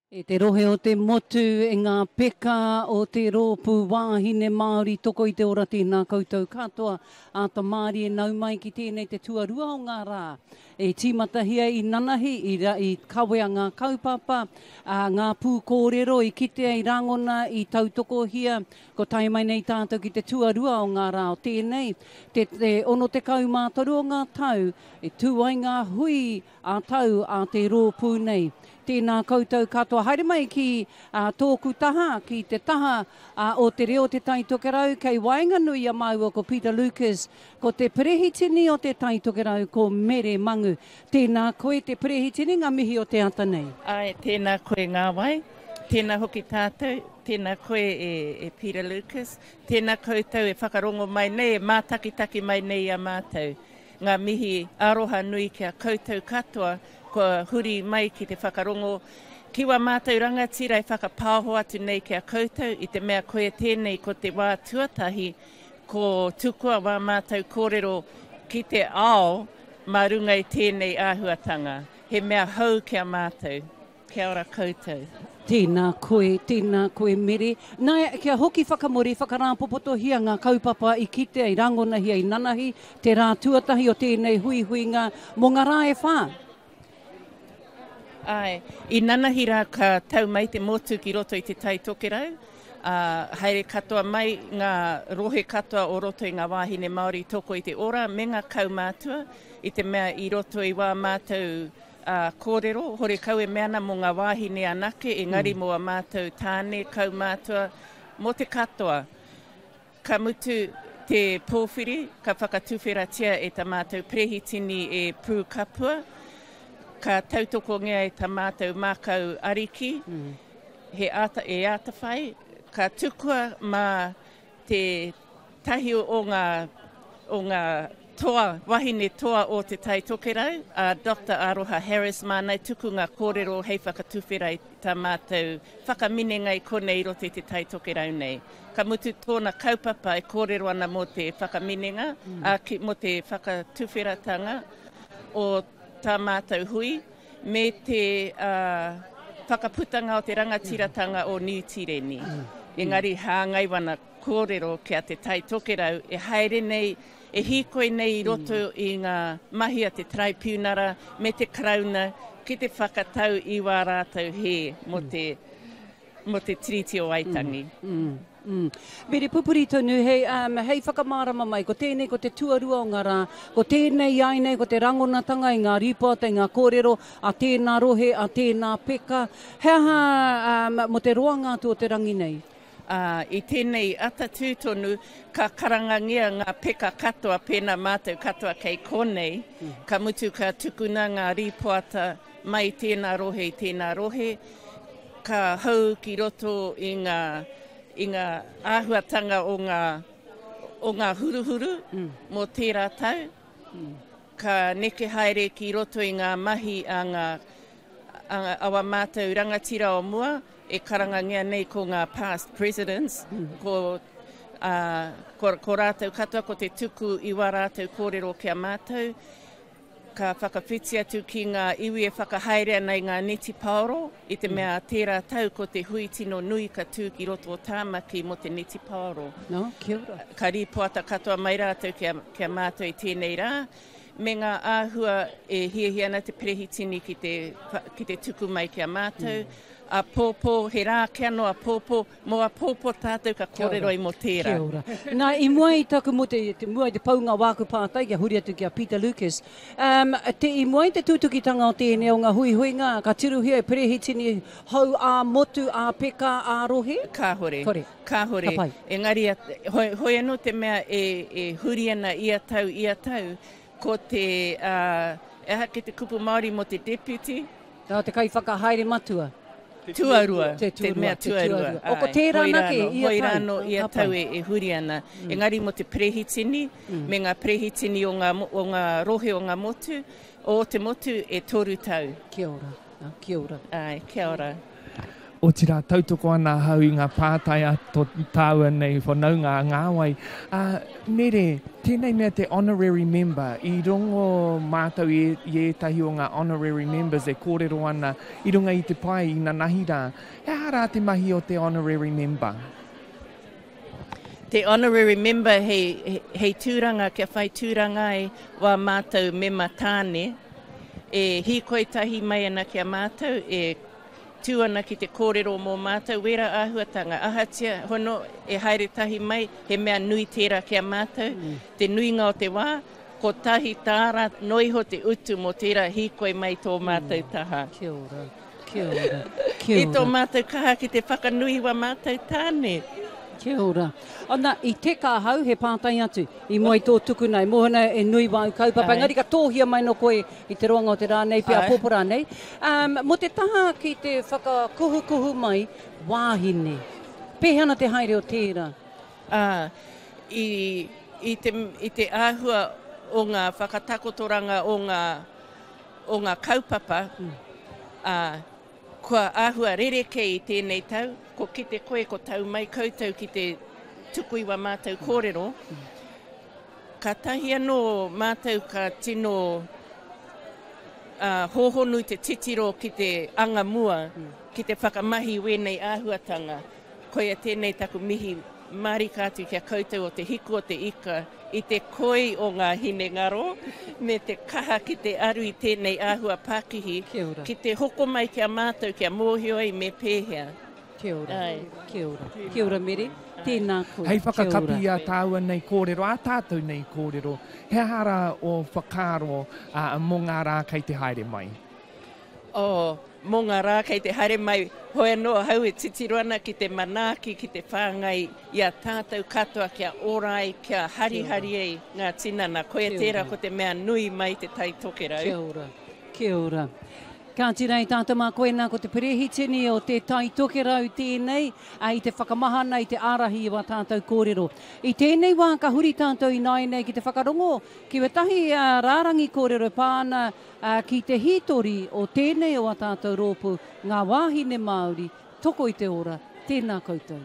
E te rohe o te motu, e ngā peka o te Rōpū Wāhine Māori Toko i te Ora tēnā koutou katoa. Āta mārie nau mai ki tēnei te tuarua o ngā rā. E tīmatahia i nanahi, i, i kawea ngā kaupapa, ā, ngā pūkōrero i kitea, i rangona, i tautokohia. Ko tae mai nei tātou ki te tuarua o ngā rā o tēnei, te, te 63 o ngā tau e tū ai ngā hui ā-tau a te rōpū nei. Tēnā koutou katoa. Haere mai ki tōku taha, ki te taha o Te Reo o Te Tai Tokerau, kei waenganui i a māua ko Peter Lucas, ko te Perehitini o Te Tai Tokerau, ko Mere Mangu. Tēnā koe te Perehitini, ngā mihi o te ata nei. Āe, tēnā koe Ngāwai, tēnā hoki tātou, tēnā koe e Peter Lucas, tēnā koutou e whakarongo mai nei, e mātakitaki mai nei i a mātou. Ngā mihi aroha nui ki a koutou katoa kua huri mai ki te whakarongo ki wā mātou rangatira e whakapaoho atu nei ki a koutou i te mea koia tēnei ko te wā tuatahi ko tukua wā mātou kōrero ki te ao mā runga i tēnei āhuatanga. He mea hou ki a mātou. Kia ora koutou. Tēnā koe, tēnā koe Mere. Nā, kia hoki whakamuri, whakarāpopotohia ngā kaupapa i kitea, i rangonahia, i nanahi, te rā tuatahi o tēnei huihuinga mō ngā rā e whā. Āe, i nanahi rā ka tau mai te motu ki roto i Te Tai Tokerau, ā, haere katoa mai ngā rohe katoa o roto i ngā wāhine Māori toko i te ora me ngā kaumātua, i te mea i roto i wā mātou Ā, kōrero, horekau e mea ana mō ngā wāhine anake, engari mō a mātou tāne, kaumātua, mō te katoa. Ka mutu te pōwhiri, ka whakatuwheratia e ta mātou perehitini e Prue Kapua, ka tautokongia e ta mātou mākau ariki, he āta, e ātawhai, ka tukua mā te tahi o ngā, o ngā toa, wahine toa o Te Tai Tokerau, a Doctor Aroha Harris māna i tuku ngā kōrero hei whakatuwhera i tā mātou whakaminenga i konei i roto i Te Tai Tokerau nei. Ka mutu tōna kaupapa e kōrero ana mō te whakaminenga, ā, ki, mō te whakatuwheratanga o tā mātou hui me te whakaputanga o te rangatiratanga o Niu Tīreni. Engari hāngai wana kōrero ki a Te Tai Tokerau e haere nei, e hīkoi nei i roto i ngā mahi a te Taraipiunara me te Karauna ki te whakatau i wā rātou hē mō te mō te Tiriti o Waitangi. Mm, mm. Mere pupuri tonu, hei, um, hei whakamārama mai, ko tēnei ko te tuarua o ngā rā, ko tēnei ai nei, ko te rangonatanga i ngā rīpoata, i ngā kōrero a tēnā rohe, a tēnā peka. He aha um, mō te roanga atu o te rangi nei? Ā, i tēnei ata tū tonu, ka karangangia ngā peka katoa pēnā mātou katoa kei konei, ka mutu ka tukuna ngā rīpoata mai i tēnā rohe i tēnā rohe, ka hou ki roto i ngā, i ngā āhuatanga o ngā, o ngā huruhuru mō tērā tau, ka neke haere ki roto i ngā mahi a ngā, a, a wā mātou rangatira o mua, E karangangia nei ko ngā past presidents, ko, ā, ko, ko rātou katoa ko te tuku i wā rātou kōrero ki a mātou, ka whakawhiti atu ki ngā iwi e whakahaere ana i ngā netipaoro, i te mea tērā tau ko te hui tino nui ka tū ki roto o Tāmaki mō te netipaoro. No, kia ora. Ka rīpoata katoa mai rātou ki a, ki a mātou i tēnei rā, me ngā āhua e hiahia ana te perehitini ki te, ki te tuku mai ki a mātou. Āpōpō, he rā kia noa āpōpō, mō āpōpō tātou ka kōrero ai mō tērā. Kia ora. Nā, i mua i taku, mō te, te mua i te paunga o āku pātai, kia huri atu ki a Peter Lucas. Um, te, i mua i te tūtukitanga o tēnei o ngā huihuinga, ka tirohia e perehitini hou ā-motu, ā-peka, ā-rohe? Kāhore. Kore. Kāhore. Ka pai. Engari, hoi, hoi anō te mea e, e huri ana ia tau, ia tau, ko te, uh, e aha ki te kupu Māori mō te deputy? Nā te kaiwhakahaere matua. Tuarua. Te tuarua. Te mea tuarua. O, ko tērā anake ia tau. Hoi rānō ia tau e huri ana. Engari mō te perehitini, me ngā perehitini o ngā, o ngā rohe o ngā motu, o te motu e toru tau. Kia ora. Kia ora. Āe, kia ora. Otirā, tautoko ana ahau i ngā pātai a tō tāua nei whanaunga a Ngāwai. Ā, Mere, tēnei mea te honorary member, i rongo mātou i, i ētahi o ngā honorary members e kōrero ana i runga i te pae i nanahi rā. He aha rā te mahi o te honorary member? Te honorary member hei, hei tūranga kia whai tūranga ai wā mātou mema tāne e hīkoi tahi mai ana ki a mātou, e tū ana ki te kōrero mō mātou wērā āhuatanga. Ahatia hono e haere tahi mai, he mea nui tērā ki a mātou. Te nuinga o te wā, kotahi tāra noa iho te utu mō tērā hīkoi mai tō mātou taha. Kia ora. Kia ora. Kia ora. I tō mātou kaha ki te whakanui wā mātou tāne. Kia ora. Ana, i teka ahau, he pātai atu, i mua i tō tukuna, e mōhio ana e nui wāu kaupapa, engari ka tōhia mai no koe i te roanga o te rā nei, pea āpōpō rānei. Um, mō te taha ki te whakakuhukuhu mai wāhine, pēhea ana te haere o tērā? Ā, i, i te, i te āhua o ngā whakatakotoranga o ngā, o ngā kaupapa, ā, kua āhua rerekē i tēnei tau, ko kite koe ko tau mai koutou ki te tuku i wā mātou kōrero, kātahi anō mātou ka tino hōhonu te titiro ki te anga mua, ki te whakamahi i wēnei āhuatanga. Koia tēnei taku mihi mārika atu ki a koutou o Te Hiku o te Ika i te koi o ngā hinengaro me te kaha ki te aru i tēnei āhua pakihi ki te hoko mai ki a mātou kia mōhio ai me pēhea. Kia ora. Kia ora. Kia ora Mere. Tēnā koe. Hei whakakapi i ā tāua nei kōrero, ā tātou nei kōrero, he aha rā ō whakaaro mō ngā rā kei te haere mai? Oh, mō ngā rā kei te haere mai, hoi anō ahau e titiro ana ki te manaaki, ki te whāngai i a tātou katoa kia ora ai, kia harihari ai ngā tinana. Koia tērā ko te mea nui mai te Tai Tokerau. Kia ora, kia ora. Kāti rā i tātou mā koinā ko te perehitini o te Tai Tokerau tēnei i te whakamahana i te ārahi i wā tātou kōrero. I tēnei wā ka huri tātou ināianei ki te whakarongo ki wētahi rārangi kōrero e pā ana Ā, ki te hītori o tēnei o ā tātou rōpū, ngā wāhine Māori, toko i te ora, tēnā koutou.